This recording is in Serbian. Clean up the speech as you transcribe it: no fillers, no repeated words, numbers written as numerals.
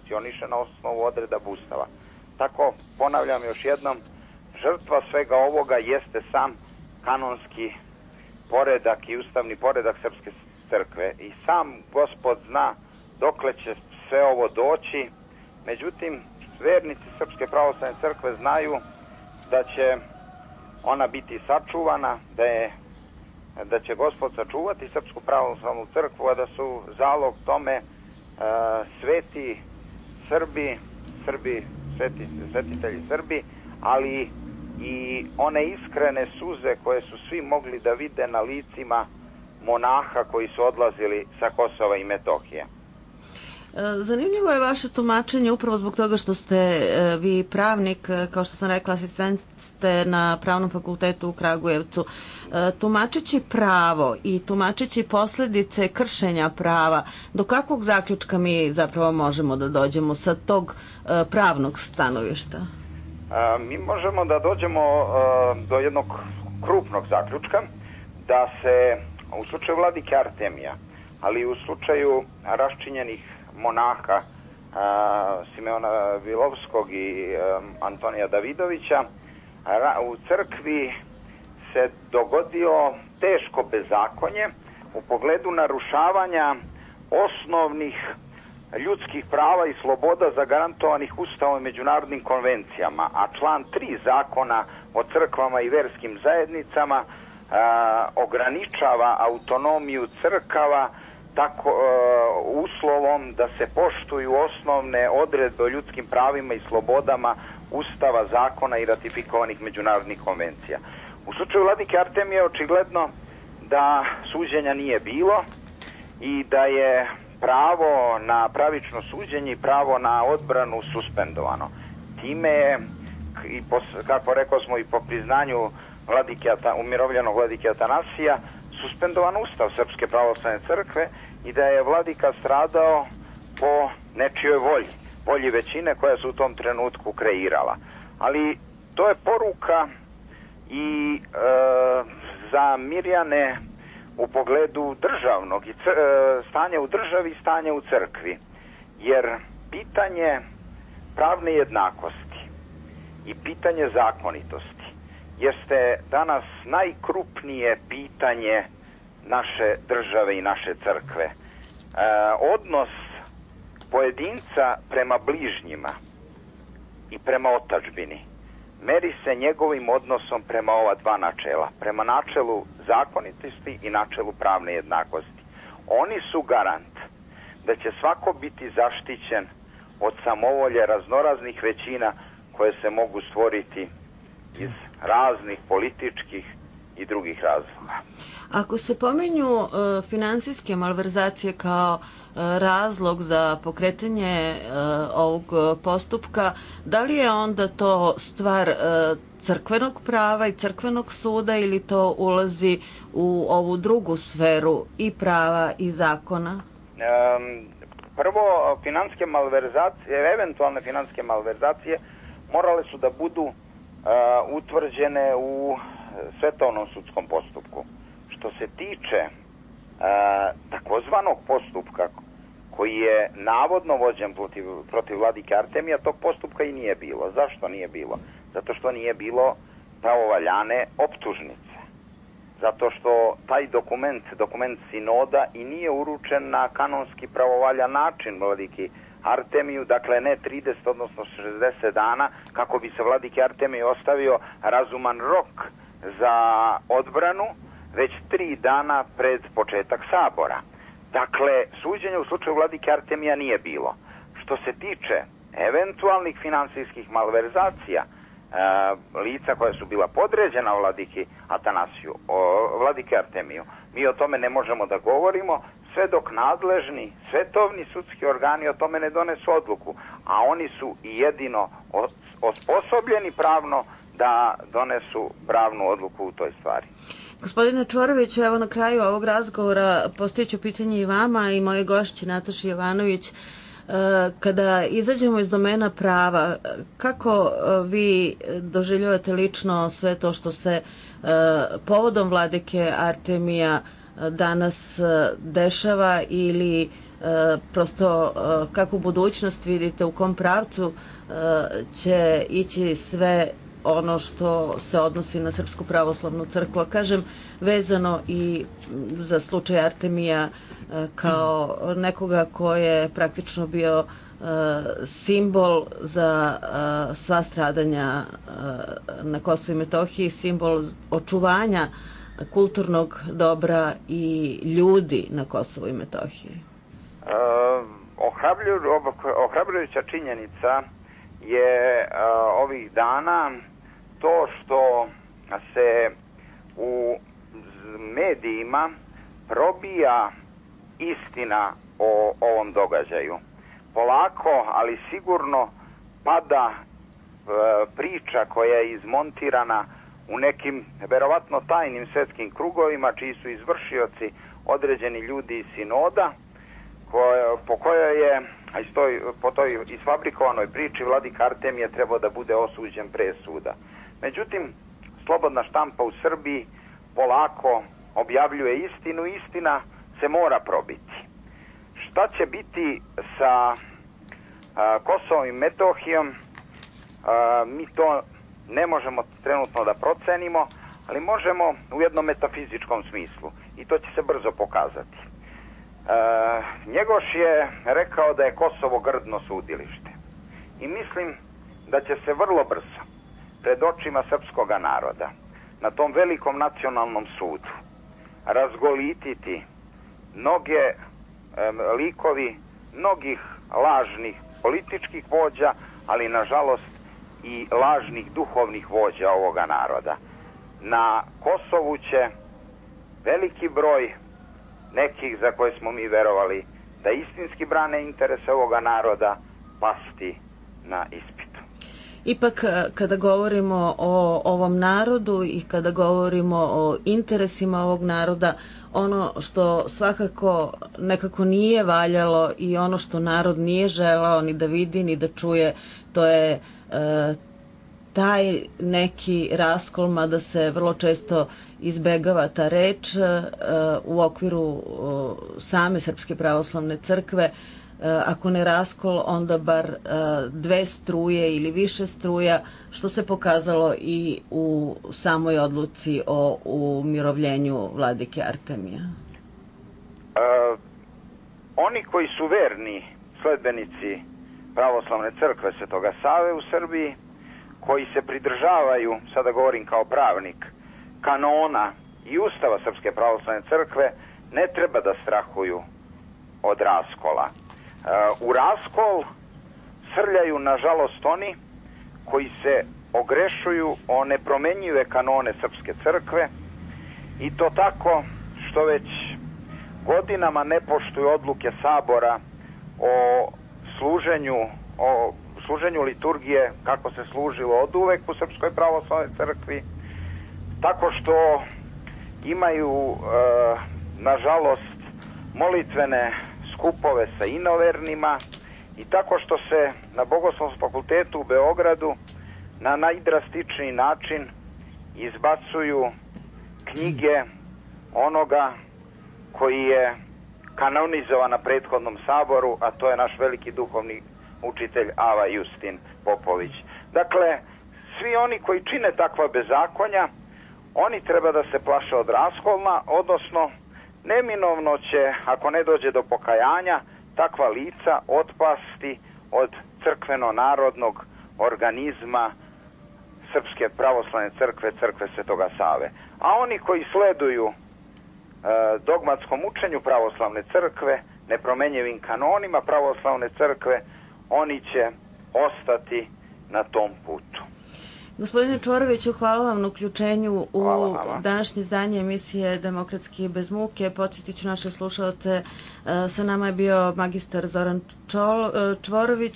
funkcioniše na osnovu odredaba Ustava. Tako, ponavljam još jednom, žrtva svega ovoga jeste sam kanonski poredak i ustavni poredak Srpske crkve. I sam Gospod zna dokle će sve ovo doći. Međutim, vernici Srpske pravoslavne crkve znaju da će ona biti sačuvana, da će Gospod sačuvati Srpsku pravoslavnu crkvu, a da su zalog tome sveti Srbi, svetitelji Srbi, ali i one iskrene suze koje su svi mogli da vide na licima monaha koji su odlazili sa Kosova i Metohije. Zanimljivo je vaše tumačenje upravo zbog toga što ste vi pravnik, kao što sam rekla, asistent ste na Pravnom fakultetu u Kragujevcu. Tumačeći pravo i tumačeći posljedice kršenja prava, do kakvog zaključka mi zapravo možemo da dođemo sa tog pravnog stanovišta? Mi možemo da dođemo do jednog krupnog zaključka da se u slučaju vladike Artemija, ali i u slučaju raščinjenih monaha Simeona Vilovskog i Antonija Davidovića, u crkvi se dogodio teško bezakonje u pogledu narušavanja osnovnih ljudskih prava i sloboda zagarantovanih Ustavom i međunarodnim konvencijama, a član 3 zakona o crkvama i verskim zajednicama ograničava autonomiju crkava tako uslovom da se poštuju osnovne odredbe o ljudskim pravima i slobodama Ustava, zakona i ratifikovanih međunarodnih konvencija. U slučaju vladike Artemije očigledno da suđenja nije bilo i da je pravo na pravično suđenje i pravo na odbranu suspendovano. Time je, kako rekao smo i po priznanju umirovljenog vladike Atanasija, suspendovan Ustav Srpske pravoslavne crkve i da je vladika stradao po nečijoj volji većine koja se u tom trenutku kreirala. Ali to je poruka i za Mirjane u pogledu državnog stanja u državi i stanja u crkvi. Jer pitanje pravne jednakosti i pitanje zakonitosti jeste danas najkrupnije pitanje naše države i naše crkve. Odnos pojedinca prema bližnjima i prema otadžbini meri se njegovim odnosom prema ova dva načela, prema načelu zakonitosti i načelu pravne jednakosti. Oni su garant da će svako biti zaštićen od samovolje raznoraznih većina koje se mogu stvoriti iz raznih političkih i drugih razloga. Ako se pominju finansijske malverzacije kao razlog za pokretanje ovog postupka, da li je onda to stvar crkvenog prava i crkvenog suda ili to ulazi u ovu drugu sferu i prava i zakona? Prvo, finansijske malverzacije, eventualne finansijske malverzacije morale su da budu utvrđene u svetovnom sudskom postupku. Što se tiče takozvanog postupka koji je navodno vođen protiv vladike Artemija, tog postupka i nije bilo. Zašto nije bilo? Zato što nije bilo pravovaljane optužnice. Zato što taj dokument sinoda i nije uručen na kanonski pravovaljan način vladiki Artemiju, dakle ne 30, odnosno 60 dana, kako bi se vladiki Artemiju ostavio razuman rok za odbranu, već 3 dana pred početak sabora. Dakle, suđenje u slučaju vladike Artemija nije bilo. Što se tiče eventualnih finansijskih malverzacija, lica koja su bila podređena vladiki Atanasiju, vladike Artemiju, mi o tome ne možemo da govorimo sve dok nadležni svetovni sudski organi o tome ne donesu odluku, a oni su i jedino osposobljeni pravno da donesu pravnu odluku u toj stvari. Gospodine Čvoroviću, evo na kraju ovog razgovora postojiću pitanje i vama i moje gošći Nataši Jovanović. Kada izađemo iz domena prava, kako vi doživljavate lično sve to što se povodom vladike Artemija danas dešava ili prosto kako u budućnost vidite, u kom pravcu će ići sve ono što se odnosi na Srpsku pravoslavnu crkvu, a kažem vezano i za slučaj Artemija kao nekoga ko je praktično bio simbol za sva stradanja na Kosovu i Metohiji, simbol očuvanja kulturnog dobra i ljudi na Kosovu i Metohiji. Ohrabrujuća činjenica je ovih dana to što se u medijima probija istina o ovom događaju. Polako, ali sigurno pada priča koja je izmontirana u nekim verovatno tajnim svetskim krugovima, čiji su izvršioci određeni ljudi iz sinoda, po kojoj je, po toj isfabrikovanoj priči, vladika Artemije trebao da bude osuđen pre suda. Međutim, slobodna štampa u Srbiji polako objavljuje istinu, istina se mora probiti. Šta će biti sa Kosovom i Metohijom, mi to ne možemo trenutno da procenimo, ali možemo u jednom metafizičkom smislu i to će se brzo pokazati. Njegoš je rekao da je Kosovo grdno sudilište i mislim da će se vrlo brzo pred očima srpskog naroda na tom velikom nacionalnom sudu razgolititi mnoge likovi mnogih lažnih političkih vođa, ali nažalost i lažnih duhovnih vođa ovoga naroda. Na Kosovu će veliki broj nekih za koje smo mi verovali da istinski brane interese ovoga naroda pasti na ispitu. Ipak, kada govorimo o ovom narodu i kada govorimo o interesima ovog naroda, ono što svakako nekako nije valjalo i ono što narod nije želao ni da vidi ni da čuje, to je taj neki raskol, mada se vrlo često izbegava ta reč u okviru same Srpske pravoslavne crkve. Ako ne raskol, onda bar dve struje ili više struja, što se pokazalo i u samoj odluci o umirovljenju vladike Artemija. Oni koji su verni sledbenici pravoslavne crkve Svetoga Save u Srbiji, koji se pridržavaju, sada govorim kao pravnik, kanona i ustava Srpske pravoslavne crkve, ne treba da strahuju od raskola. U raskol srljaju, nažalost, oni koji se ogrešuju o nepromenjive kanone Srpske crkve i to tako što već godinama ne poštuju odluke Sabora o služenju liturgije kako se služilo od uvek u Srpskoj pravoslavnoj crkvi, tako što imaju, nažalost, molitvene skupove sa inovernima i tako što se na Bogoslovskom fakultetu u Beogradu na najdrastičniji način izbacuju knjige onoga koji je kanonizovan na prethodnom saboru, a to je naš veliki duhovni učitelj Ava Justin Popović. Dakle, svi oni koji čine takva bezakonja, oni treba da se plaše od raskolna, odnosno neminovno će, ako ne dođe do pokajanja, takva lica otpasti od crkveno-narodnog organizma Srpske pravoslavne crkve, crkve Svetoga Save. A oni koji sleduju dogmatskom učenju pravoslavne crkve, nepromenjivim kanonima pravoslavne crkve, oni će ostati na tom putu. Gospodine Čvoroviću, hvala vam na uključenju u današnje izdanje emisije Demokratski bez muke. Podsjetit ću naše slušalce, sa nama je bio magistar Zoran Čvorović,